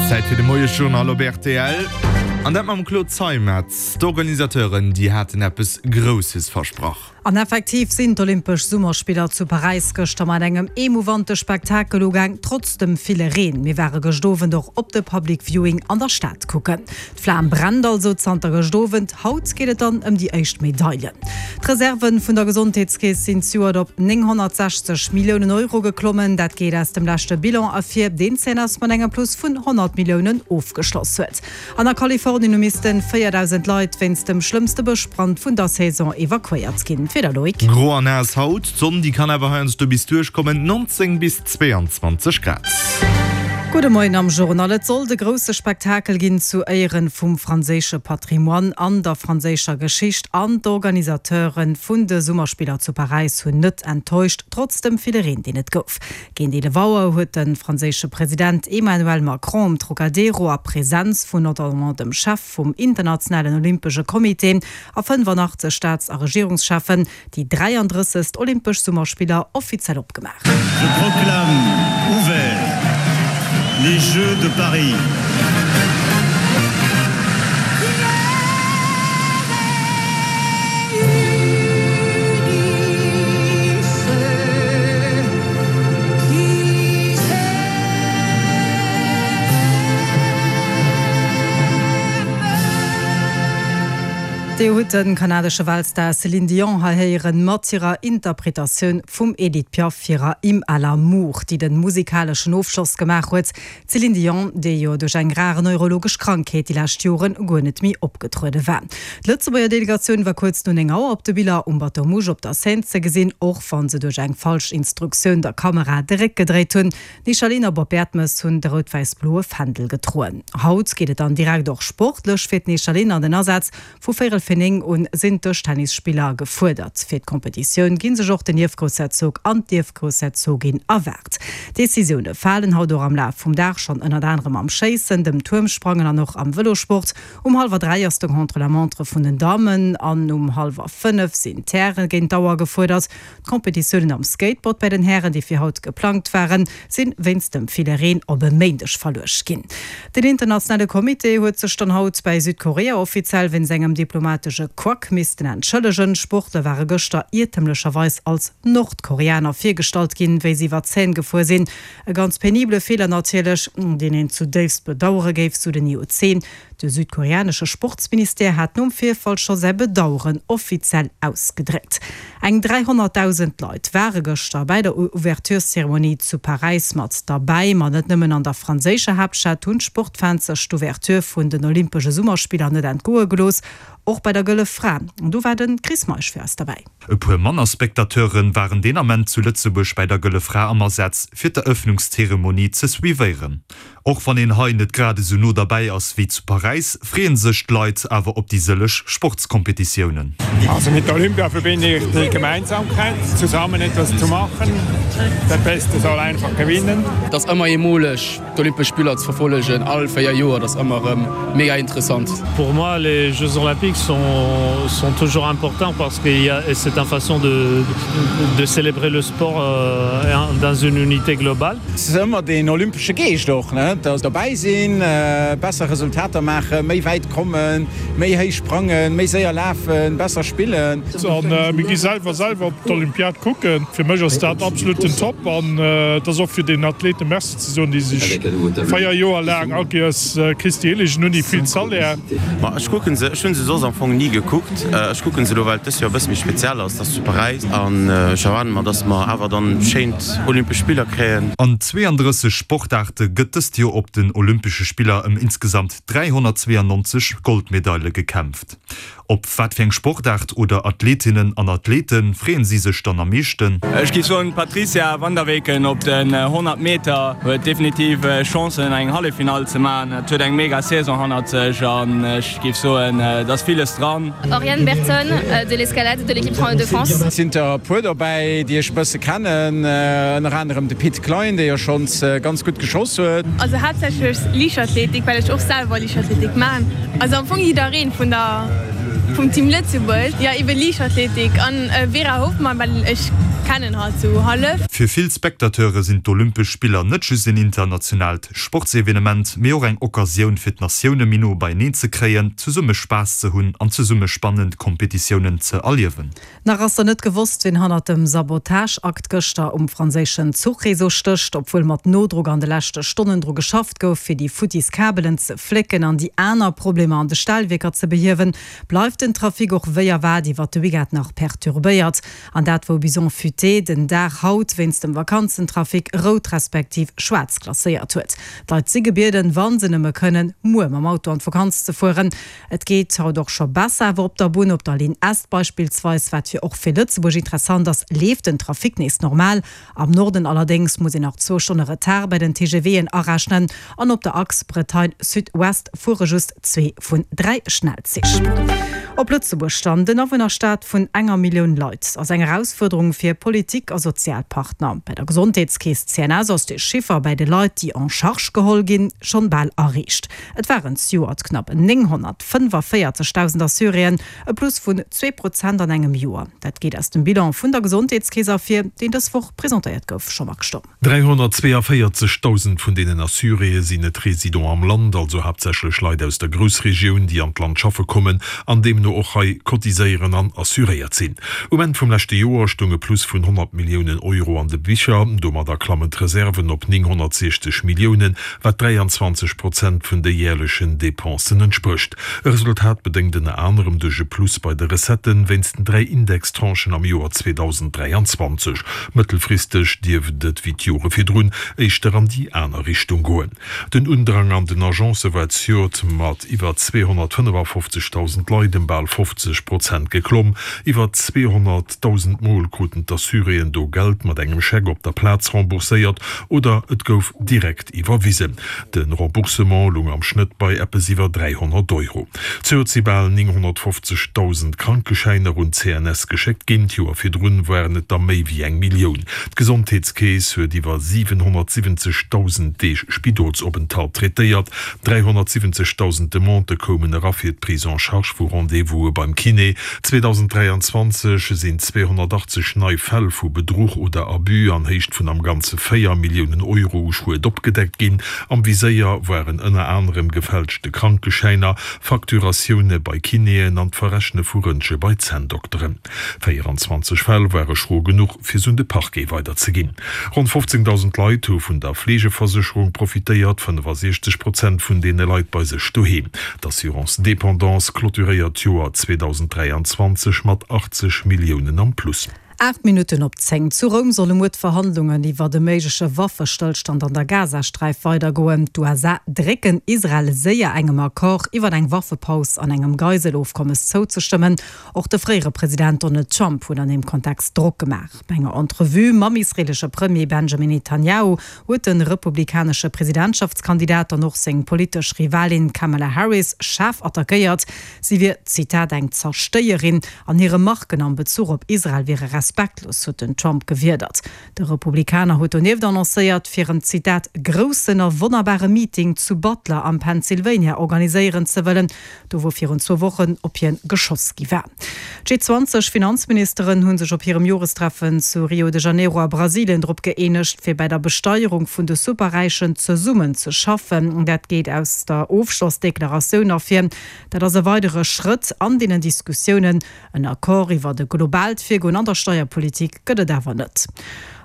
Zäit fir de Moiesjournal op rtl. An dat mam Claude Zeimetz. D'Organisateuren, déi haten eppes Grousses versprach. An effektiv sinn d'Olympesch Summerspiller zu Paräis gëschter mat engem emouvante Spektakel ugaang, trotz dem ville Reen. Mir ware gëscht Owend och op de Public Viewing an der Stad kucken. D'Flam brennt also zanter gëscht Owend. Haut geet et dann ëm déi éischt Medaile. D'Reserve vun der Gesondheetskeess sinn zejoert op 960 Milliounen Euro geklommen. Dat geet aus dem leschte Bilan ervir, deen d'CNS mat engem Plus vun 100 Milliounen ofgeschloss huet. An a Kalifornien hu missten 4.000 Leit wéinst dem schlëmmste Bëschbrand vun der Saison evakuéiert ginn. D'Wieder, Loïc. Gro an naass haut, d'Sonn déi kann awer heiansdo bis duerchkommen, 19 bis 22 Grad. Gudde Moien am Journal. Et sollt e grousse Spektakel ginn zu Éieren vum franséische Patrimoine an der franséischer Geschicht an d'Organisateure vun de Summerspiller zu Paräis hunn net enttäuscht, trotz dem ville Reen deen et gouf. Géint 11 Auer huet de franséische President Emmanuel Macron um Trocadero a Presenz vun notamment dem Chef vum Internationalen Olympesche Comité a 85 Staats a Regierungscheffen déi 33. Olympesch Summerspiller offiziell opgemaach. Je proclame ouverts les Jeux de Paris. Dir hutt de kanadesche Weltstar Céline Dion hei héieren mat hirer Interpretatioun vum Edith Piaf hirer Hymne à l'amour, déi de musikaleschen Ofschloss gemaach huet. D'Céline Dion, déi jo duerch eng rar neurologesch Krankheet déi lescht Joren guer net méi opgetruede war. D'Lëtzebuerger Delegatioun war kuerz no 9 Auer op de Biller um Bateau Mouche op der Seine ze gesinn, och wa se duerch eng falsch Instruktioun der Kamera de Réck gedréit hunn. D'Michaline a Bob Bertemes hunn de rout-wäiss-bloe Fändel gedroen. Haut geet et dann direkt och sportlech fir d'Michaline an den Asaz. Vu véierel fir 9 un sinn d'Dëschtennisspiller gefuerdert. Fir d'Kompetitioun gi sech och den Ierfgroussherzog an d'Ierfgroussherzogin erwaart. Decisioune falen haut och am Laf vum Dag schonn, ënnert anerem am Schéissen, dem Tuermsprangen an och am Vëlosport. Um hallwer 3 ass de Contre-la-montre vun den Dammen an um hallwer 5 sinn d'Häre géint d'Auer gefuerdert. D'Kompetitiounen am Skateboard bei den Hären, déi fir haut geplangt waren, sinn wéinst dem ville Reen op e Méindeg verluecht ginn. Den internationale Comité huet sech dann haut bäi Südkorea offiziell wéinst engem diplomatesche Couac missten entschëllegen. D'Sportler ware gëschter iertemlecherweis als Nordkoreaner virgestallt ginn, wéi se iwwer d'Seine gefuer sinn. E ganz penibele Feeler natierlech, deen een zudéifst bedauere géif, sou den IOC. De südkoreanesche Sportsministère hat nom Virfall scho säi Bedaueren offiziell ausgedréckt. Eng 300.000 Leit ware gëschter bäi der Ouvertureszeremonie zu Paräis mat derbäi. Ma net nëmmen an der franséischer Haaptstad hunn d'Sportfans sech d'Ouverture vun den Olympesche Summerspiller net entgoe gelooss, och bei der Gëlle Fra. An do war de Chris Meisch fir eis derbäi. E puer manner Spectateure waren deen Ament zu Lëtzebuerg bäi der Gëlle Fra am Asaz, fir d'Erëffnungszeremonie ze suivéieren. Och wann een hei net grad esou no derbäi ass wéi zu Paräis, freeën sech d'Leit awer op déi sëlleg Sportskompetitiounen. Also mit der Olympia verbinde ich die Gemeinsamkeit, zusammen etwas zu machen. Der Beste soll einfach gewinnen. Et ass ëmmer eemoleg d'Olympesch Spiller ze verfollegen, all 4 Joer, dat ass ëmmer erëm mega interessant. Pour moi les Jeux Olympiques sont sont toujours importants parce que il y a c'est un façon de de célébrer le sport dans une unité globale. Et ass ëmmer deen olympesche Geescht och, ne, dass derbäi sinn, besser Resultater maachen, méi wäit kommen, méi héich sprangen, méi séier lafen, besser spillen. A mir gi selwer selwer op d'Olympiad kucken. Fir mech ass dat absolut den Top an et ass och fir den Athleten Merci ze soen, déi sech 4 Joer laang all Kéiers Christi Hillegen hunn, déi vill Salaire. Ma ech kucken se, ech hunn se soss am Fong ni gekuckt. Ech kucken se elo well et dës Joer e bësse méi speziell ass, et ass zu Paräis an ech erwaarde mer, dass mer awer dann schéint Olympesch Spiller kréien. An 32 Sportaarte gëtt dëst Joer op den Olympesche Spiller ëm insgesamt 392 Goldmedaile gekämpft. Op wat fir eng Sportaart oder Athletinnen an Athlete freeën si sech dann am meeschten? Ech géif soen d'Patricia van der Weken op den 100 Meter huet definitiv Chancen eng Halleffinall ze maachen. Et huet eng mega Saison hannert sech an ech géif soen et ass villes dran. Oriane Bertone de l'escalade de l'équipe de France. Et sinn der e puer dobäi, déi ech e bësse kennen, ënner anerem de Pit Klein, dee jo schonns ganz gutt geschoss huet. Also haaptsächlech Liichtathletik, well ech och selwer Liichtathletik maan. Also am Fong jiddereen vun der vum Team Lëtzebuerg. Jo eben Liichtathletik an Vera Hoffmann, well ech. kennen halt sou hallef. Fir vill Spectateure sinn d'Olympesch Spiller net just een internationaalt Sportsevenement, mee och eng Occasioun fir d'Natioune méi no beieneen ze kréien, zesumme Spaass ze hunn an zesumme spannend Kompetitiounen ze erliewen. Nach ass der net gewosst, wien hannert dem Sabotageakt gëschter um franséischen Zuchreseau stécht. Obwuel mat Nodrock an de leschte Stonnen dru geschafft gouf, fir déi futtis Kabelen ze flécken an déi aner Problemer an de Stellwierker ze behiewen, bleift den Trafic och wéi erwaart iwwert de Weekend nach perturbéiert. An dat wou Bison Futé den Dag haut wéinst dem Vakanzentrafic rout respektiv schwaarz klasséiert huet. D'Leit si gebieden, wa se nëmme kënnen, muer mam Auto an d'Vakanz ze fueren. Et geet haut och scho besser, awer op der Bunn, op der Linn Est beispillsweis, wat fir och fir Lëtzebuerg interessant ass, leeft den Trafic nees normal. Am Norden allerdéngs muss een nach zwou Stonne Retard bei den TGVen arechnen an op der Achs Bretagne-Sud-Ouest fuere just zwee vun 3 Schnellzich. Op Lëtzebuerg dann, Den Awunnerstaat vun enger Millioun Leit ass eng Erausfuerderung fir Politik a Sozialpartner. Bei der Gesondheetskeess CNS ass de Chiffer bäi de Leit, déi en charge geholl ginn, schonn bal erreecht. Et waren zejoert knapp 945.000 Assuréen, e Plus vun 2 Prozent an engem Joer. Dat geet aus dem Bilan vun der Gesondheetskeess ervir, deen dës Woch presentéiert gouf. Jean-Marc Sturm. 342.000 vun deenen Assuréë sinn net Résident am Land, also haaptsächlech Leit aus der Groussregioun, déi an d'Land schaffe kommen an deemno och hei cotiséieren an assuréiert sinn. Um Enn vum leschte Joer stoung e Plus vun 100 Milliounen Euro an de Bicher. Domadder klammen d'Reserven op 960 Milliounen, wat 23 Prozent vun de järlechen Depensen entsprécht. E Resultat bedéngt ënner anerem duerch e Plus bei de Recetten wéinst den 3 Indextranchen am Joer 2023. Mëttelfristeg dierft et wéi d'Jore virdrun éischter an déi aner Richtung goen. Den Undrang an den Agencë war zejoert mat iwwer 255.000 Leit ëm bal 50 Prozent geklomm. Iwwer 200.000 Mol kruten d'Assuréen do Geld mat engem Scheck op der Plaz rembourséiert oder et gouf direkt iwwerwisen. De Remboursement lung am Schnëtt bei eppes iwwer 300 Euro. Zejoert si bal 950.000 Krankeschäiner un d'CNS geschéckt ginn, d'Joer virdrun waren et der méi wéi eng Millioun. D'Gesondheetskeess huet iwwer 770.000 Deeg Spidolsopenthalt traitéiert, 370.000 Demandë koumen era fir d'Prise en charge vu Rendez-vouse beim Kiné. 2023 sinn 280 nei Fäll vu Bedruch oder Abus an Héicht vun am Ganze 4 Milliounen Euro u Schued opgedeckt ginn. Am Viséier waren ënner anerem gefälschte Krankeschäiner, Facturatioune bei Kinéen an d'Verrechne vu Röntge bei Zänndokteren. 24 Fäll ware schro genuch, fir se un de Parquet weiderzeginn. Ronn 15.000 Leit hu vun der Fleegeversécherung profitéiert, 65 Prozent vun deene Leit bei sech doheem. D'Assurance Dépendance clôturéiert d'Joer 2023 mat 80 Milliounen am Plus. 8 Minutten op 10, Zu Roum solle muer d'Verhandlungen iwwert e méigleche Waffestëllstand an der Gazasträif weidergoen. D'USA drécken Israel séier engem Accord iwwert eng Waffepaus an engem Geiselofkommes zouzestëmmen. Och de fréiere President Donald Trump huet an deem Kontext Drock gemaach. Bei enger Entrevue mam israeelesche Premier Benjamin Netanjahu huet de republikanesche Presidentschaftskandidat dann och seng politesch Rivalin Kamala Harris schaarf attackéiert. Si wier, Zitat, eng Zerstéierin an hir Remarken am Bezuch op Israel wiere respektlos, huet den Trump gewiedert. De Republikaner huet donieft annoncéiert, fir en, Zitat, groussen a wonnerbare Meeting zu Butler am Pennsylvania organiséieren ze wëllen, do wou virun zwou Wochen op hien geschoss gi war. D'G20-Finanzministeren hu sech op hirem Jorestreffen zu Rio de Janeiro a Brasilien drop gëeenegt, fir bäi der Besteierung vun de Superräichen zesummen ze schaffen. Dat geet aus der Ofschlossdeklaratioun ervir. Dat ass e weidere Schrëtt an deenen Diskussiounen. En Accord iwwert e globaalt Virgoen an der Steierpolitik gëtt et awer net.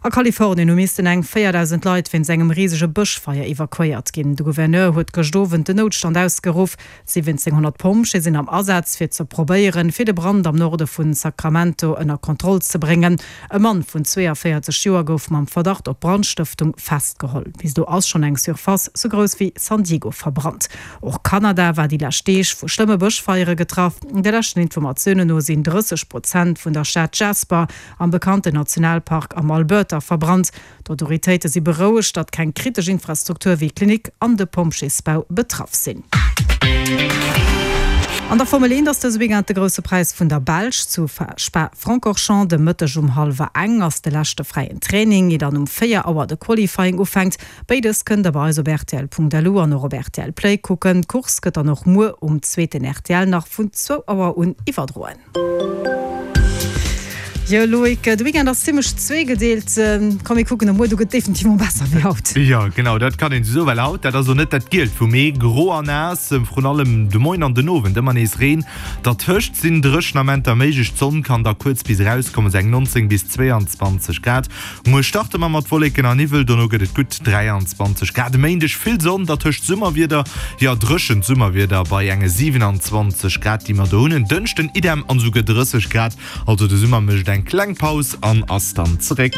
A Kalifornien hu missten eng 4.000 Leit wéinst engem risege Bëschfeier evakuéiert ginn. De Gouverneur huet gëscht Owend den Noutstand ausgeruff. 1.700 Pompjee sinn am Asaz, fir ze probéieren, fir de Brand am Norde vu Sacramento ënner Kontroll ze bréngen. E Mann vun 42 Joer gouf mam Verdacht op Brandstëftung festgeholl. Bis elo ass schonn eng Surface sou grouss wéi San Diego verbrannt. Och Kanada war déi lescht Deeg vu schlëmme Bëschfeiere getraff. De leschten Informatiounen no sinn 30 Prozent vun der Stad Jasper am bekannten Nationalpark am Alberta verbrannt. D'Autoritéite si berouegt, datt keng kritesch Infrastruktur wéi d'Klinik an de Pompjeesbau betraff sinn. An der Formel 1 ass dëse Weekend de Grousse Präis vun der Belsch zu Spa-Francorchamps. De Mëtteg um hallwer eng ass de leschte fräien Training, ier dann um 4 Auer de Qualifying ufänkt. Béides kënnt der bei eis op rtl.lu an och op rtl Play kucken. D'Course gëtt dann och muer um zweeten rtl nach vun zwou Auer un iwwerdroen. Jo Loïc, de Weekend ass zimmlech zweegedeelt. Komm mir kucken op muer, do gëtt definitiv mol besser wéi haut. Jo genau, dat kann een esou soen, well haut, dat ass och net dat Gielt vum Mee, gro a naass, vrun allem de Moien an den Owend ëmmer nees Reen. Dertëscht sinn dréchen Amenter méiglech, d'Sonn kann da kuerz bis erauskommen, sou eng 19 bis 22 Grad. Muer starte mer mat Wolleken a Niwwel, dono gëtt et gutt 23 Grad. E Méindeg vill Sonn, dertëscht Summerwieder, jo dréchent Summerwieder bei enge 27 Grad, déi mer do hunn. En Dënschden idem an esouguer 30 Grad. Also de Summer mécht eng kleng Paus an ass dann zeréck.